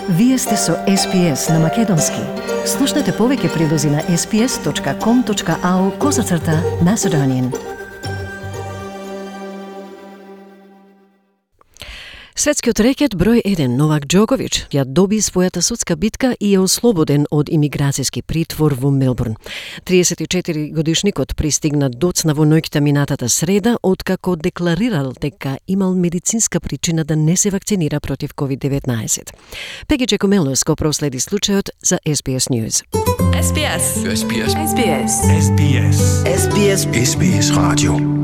Вие сте со SPS на Македонски. Слушнете повеќе прилози на sps.com.au/Macedonian. Светскиот рекет број 1 Новак Џоковиќ ја доби својата судска битка и е ослободен од имиграцијски притвор во Мелбурн. 34-годишникот пристигна доцна во ноќта минатата среда, откако декларирал дека имал медицинска причина да не се вакцинира против COVID-19. Пеги Чекомелос го проследи случајот за SBS News. SBS. SBS. SBS. SBS. SBS. SBS Radio.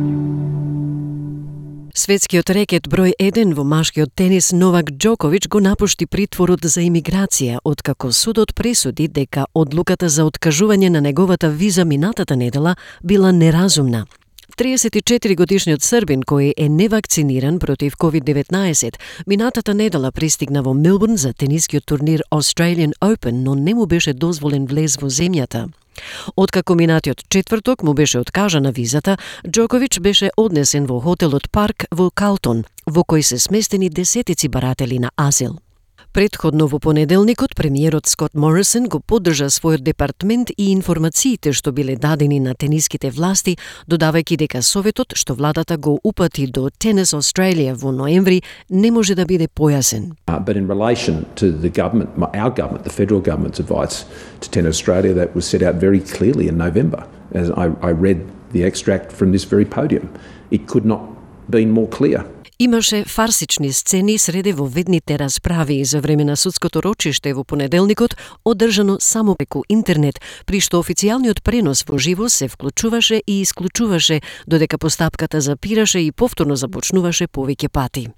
Светскиот рекет број 1 во машкиот тенис Новак Џоковиќ го напушти притворот за имиграција, откако судот пресуди дека одлуката за откажување на неговата виза минатата недела била неразумна. 34-годишниот србин кој е невакциниран против COVID-19 минатата недела пристигна во Мелбурн за тенискиот турнир Australian Open, но не му беше дозволен влез во земјата. Откако минатиот четврток му беше откажана визата, Џоковиќ беше однесен во хотелот Парк во Калтон, во кој се сместени десетици баратели на азил. Предходно во понеделникот премиерот Скот Морисон го поддржа својот департмент и информациите што биле дадени на тениските власти, додавајќи дека советот што владата го упати до Tennis Australia во ноември не може да биде појасен. But in relation to the government, our government, the federal government's advice to Tennis Australia, that was set out very clearly in November. As I read the extract from this very podium, it could not been more clear. Имаше фарсични сцени среде во ведните расправи за време на судското рочиште во понеделникот, одржано само преку интернет, при што официјалниот пренос во живо се вклучуваше и исклучуваше, додека постапката запираше и повторно започнуваше повеќе пати.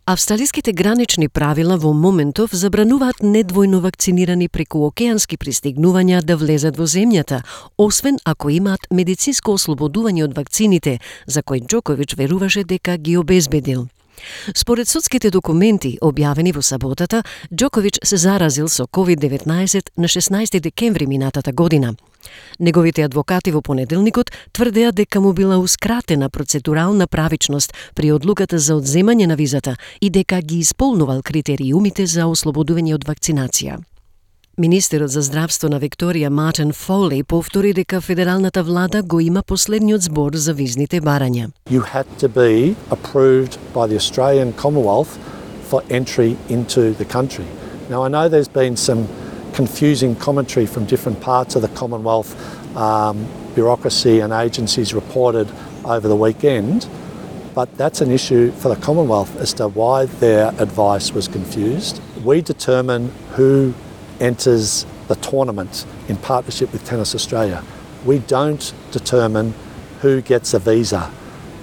Австралиските гранични правила во моментов забрануваат недвојно вакцинирани преку океански пристигнувања да влезат во земјата, освен ако имаат медицинско ослободување од вакцините, за кој Џоковиќ веруваше дека ги обезбедил. Според судските документи, објавени во саботата, Џоковиќ се заразил со COVID-19 на 16 декември минатата година. Неговите адвокати во понеделникот тврдеа дека му била ускратена процедурална правичност при одлуката за одземање на визата и дека ги исполнувал критериумите за ослободување од вакцинација. Министерот за здравство на Викторија Мартин Фоли повтори дека федералната влада го има последниот збор за визните барања. You had to be approved by the Australian Commonwealth for entry into the country. Now I know there's been some confusing commentary from different parts of the Commonwealth bureaucracy and agencies reported over the weekend, but that's an issue for the Commonwealth as to why their advice was confused. We determine who enters the tournament in partnership with Tennis Australia. We don't determine who gets a visa.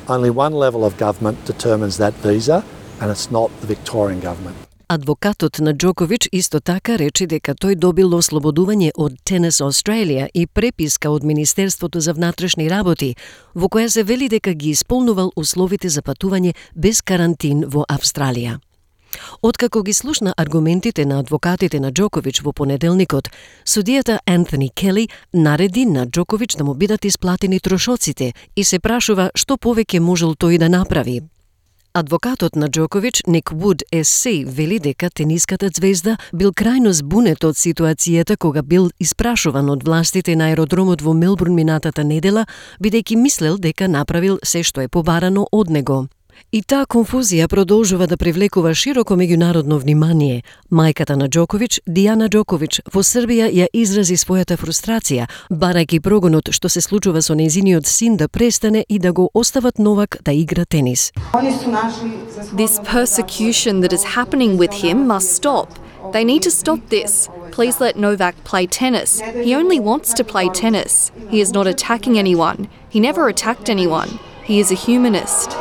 Only one level of government determines that visa, and it's not the Victorian government. Адвокатот на Џоковиќ исто така рече дека тој добил ослободување од Tennis Australia и преписка од Министерството за внатрешни работи, во која се вели дека ги исполнувал условите за патување без карантин во Австралија. Откако ги слушна аргументите на адвокатите на Џоковиќ во понеделникот, судијата Антони Кели нареди на Џоковиќ да му бидат исплатени трошоците и се прашува што повеќе можел тој да направи. Адвокатот на Џоковиќ, Ник Вуд SC, вели дека тениската звезда бил крајно збунет од ситуацијата кога бил испрашуван од властите на аеродромот во Мелбурн минатата недела, бидејќи мислел дека направил се што е побарано од него. И таа конфузија продолжува да привлекува широко меѓународно внимание. Мајката на Џоковиќ, Дијана Џоковиќ, во Србија ја изрази својата фрустрација, барајќи прогонот што се случува со нејзиниот син да престане и да го остават Новак да игра тенис. This persecution that is happening with him must stop. They need to stop this. Please let Novak play tennis. He only wants to play tennis. He is not attacking anyone. He never attacked anyone. He is a humanist.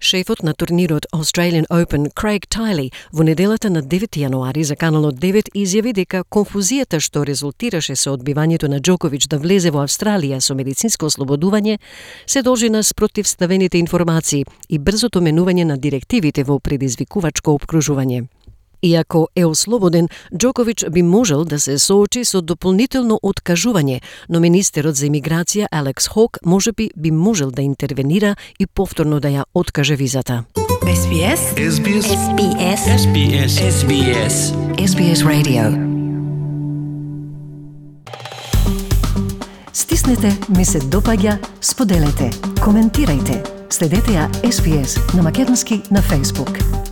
Шефот на турнирот Australian Open, Craig Tiley, во неделата на 9 јануари за Каналот 9 изјави дека конфузијата што резултираше со одбивањето на Џоковиќ да влезе во Австралија со медицинско ослободување се должи на спротивставените информации и брзото менување на директивите во предизвикувачко опкружување. Иако е ослободен, Џоковиќ би можел да се соочи со дополнително откажување, но министерот за имиграција Алекс Хок можеби би можел да интервенира и повторно да ја откаже визата. SBS. SBS. SBS. SBS. SBS. SBS Radio. Стиснете, ми се допаѓа, споделете, коментирајте. Следете ја SBS на македонски на Facebook.